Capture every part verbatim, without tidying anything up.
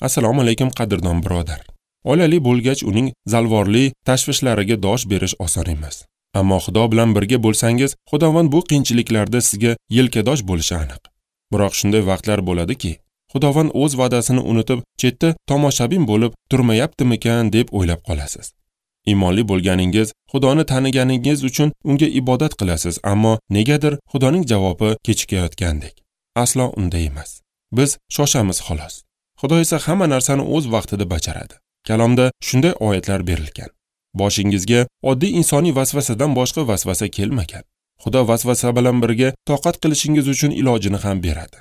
Assalomu alaykum qadrdon birodar. Oilali bo'lgach uning zalvorli tashvishlariga dosh berish oson emas. Ammo Xudo bilan birga bo'lsangiz, Xudovand bu qiyinchiliklarda sizga yelkadosh bo'lishi aniq. Biroq shunday vaqtlar bo'ladiki, Xudovand o'z va'dasini unutib, chetda tomoshabin bo'lib turmayaptimikan deb o'ylab qolasiz. Iymonli bo'lganingiz, Xudoni taniganingiz uchun unga ibodat qilasiz, ammo negadir Xudoning javobi kechikayotgandek. Aslo unday emas. Biz shoshamiz xolos. Xudo esa hamma narsani o'z vaqtida bajaradi. Kalomda shunday oyatlar berilgan. Boshingizga oddiy insoniy vasvasadan boshqa vasvasa kelmagan. Xudo vasvasa bilan birga toqat qilishingiz uchun ilojini ham beradi.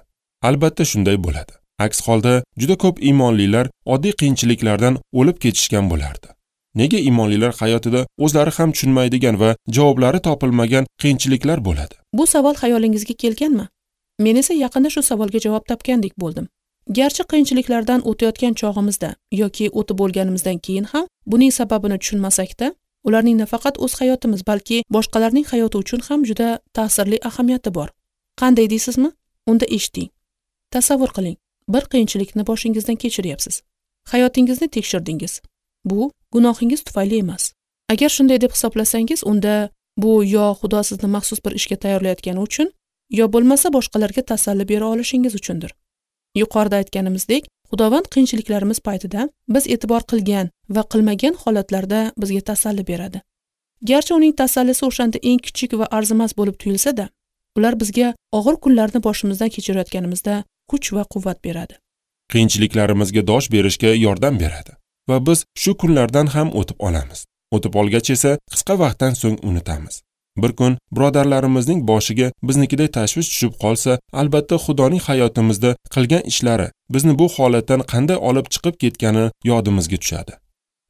Albatta shunday bo'ladi. Aks holda juda ko'p iymonlilar oddiy qiyinchiliklardan o'lib ketishgan bo'lardi. Nega iymonlilar hayotida o'zlari ham tushunmaydigan va javoblari topilmagan qiyinchiliklar bo'ladi? Bu savol xayolingizga kelganmi? Men esa yaqinda shu savolga javob topgandek bo'ldim. Garchi qiyinchiliklardan o'tayotgan chog'imizda yoki o'tib bo'lganimizdan keyin ham buning sababini tushunmasakda, ularning nafaqat o'z hayotimiz, balki boshqalarning hayoti uchun ham juda ta'sirli ahamiyati bor. Qanday deysizmi? Unda eshiting. Tasavvur qiling, bir qiyinchilikni boshingizdan kechiryapsiz. Hayotingizni tekshirdingiz. Bu gunohingiz tufayli emas. Agar shunday deb hisoblasangiz, unda bu yo Xudo sizni maxsus bir ishga tayyorlayotgani uchun, yo bo'lmasa boshqalarga tasalli bera olishingiz uchundir. Yuqorida aytganimizdek, Xudovand qiyinchiliklarimiz paytida biz e'tibor qilgan va qilmagan holatlarda bizga tasalli beradi. Garchi uning tasallisi o'shanda eng kichik va arzimas bo'lib tuyulsa-da, ular bizga og'ir kunlarni boshimizdan kechirayotganimizda kuch va quvvat beradi. Qiyinchiliklarimizga dosh berishga yordam beradi va biz shu kunlardan ham o'tib olamiz. O'tib olgach esa qisqa vaqtdan so'ng unutamiz. Bir kun birodarlarimizning boshiga biznikiday tashvish tushib qolsa, albatta Xudoning hayotimizda qilgan ishlari bizni bu holatdan qanday olib chiqib ketgani yodimizga tushadi.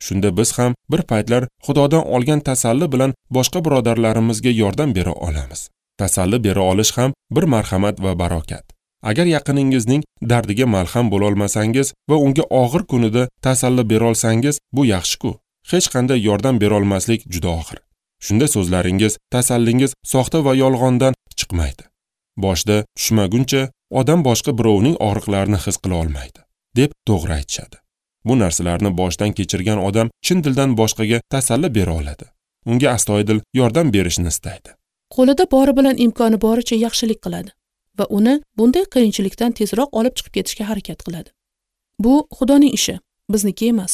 Shunda biz ham bir paytlar Xudodan olgan tasalli bilan boshqa birodarlarimizga yordam bera olamiz. Tasalli bera olish ham bir marhamat va barokat. Agar yaqiningizning dardiga malham bo'la olmasangiz va unga og'ir kunida tasalli bera olsangiz, bu yaxshi-ku. Hech qanday yordam bera olmaslik juda og'ir. Shunda so'zlaringiz, tasallingiz soxta va yolg'ondan chiqmaydi. Boshda tushmaguncha odam boshqa birovning og'riqlarini his qila olmaydi, deb to'g'ri aytishadi. Bu narsalarni boshdan kechirgan odam chin dildan boshqaga tasalli bera oladi. Unga astoydil yordam berishni istaydi. Qo'lida bori bilan imkoni boricha yaxshilik qiladi va uni bunday qiyinchilikdan tezroq olib chiqib ketishga harakat qiladi. Bu Xudoning ishi, bizniki emas.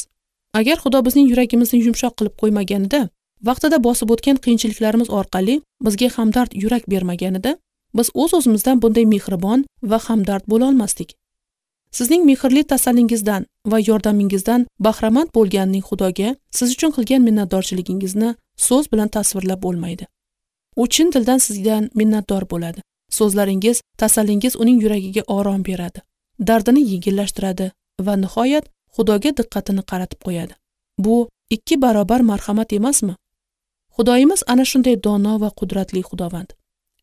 Agar Xudo bizning yuragimizni yumshoq qilib qo'ymaganida, vaqtida bosib o'tgan qiyinchiliklarimiz orqali bizga hamdard yurak bermaganida, biz o'z-o'zimizdan bunday mehribon va hamdard bo'la olmasdik. Sizning mehrli tasallingizdan va yordamingizdan bahramand bo'lganining Xudoga siz uchun qilgan minnatdorchiligingizni so'z bilan tasvirlab bo'lmaydi. U chin dildan sizdan minnatdor bo'ladi. So'zlaringiz, tasallingiz uning yuragiga orom beradi, dardini yengillashtiradi va nihoyat Xudoga diqqatini qaratib qo'yadi. Bu ikki barobar marhamat emasmi? Xudoyimiz ana shunday dono va qudratli Xudovand.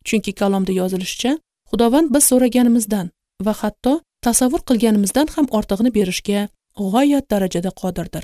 Chunki kalomda yozilishicha, Xudovand biz so'raganimizdan va hatto tasavvur qilganimizdan ham ortig'ini berishga g'oyat darajada qodirdir.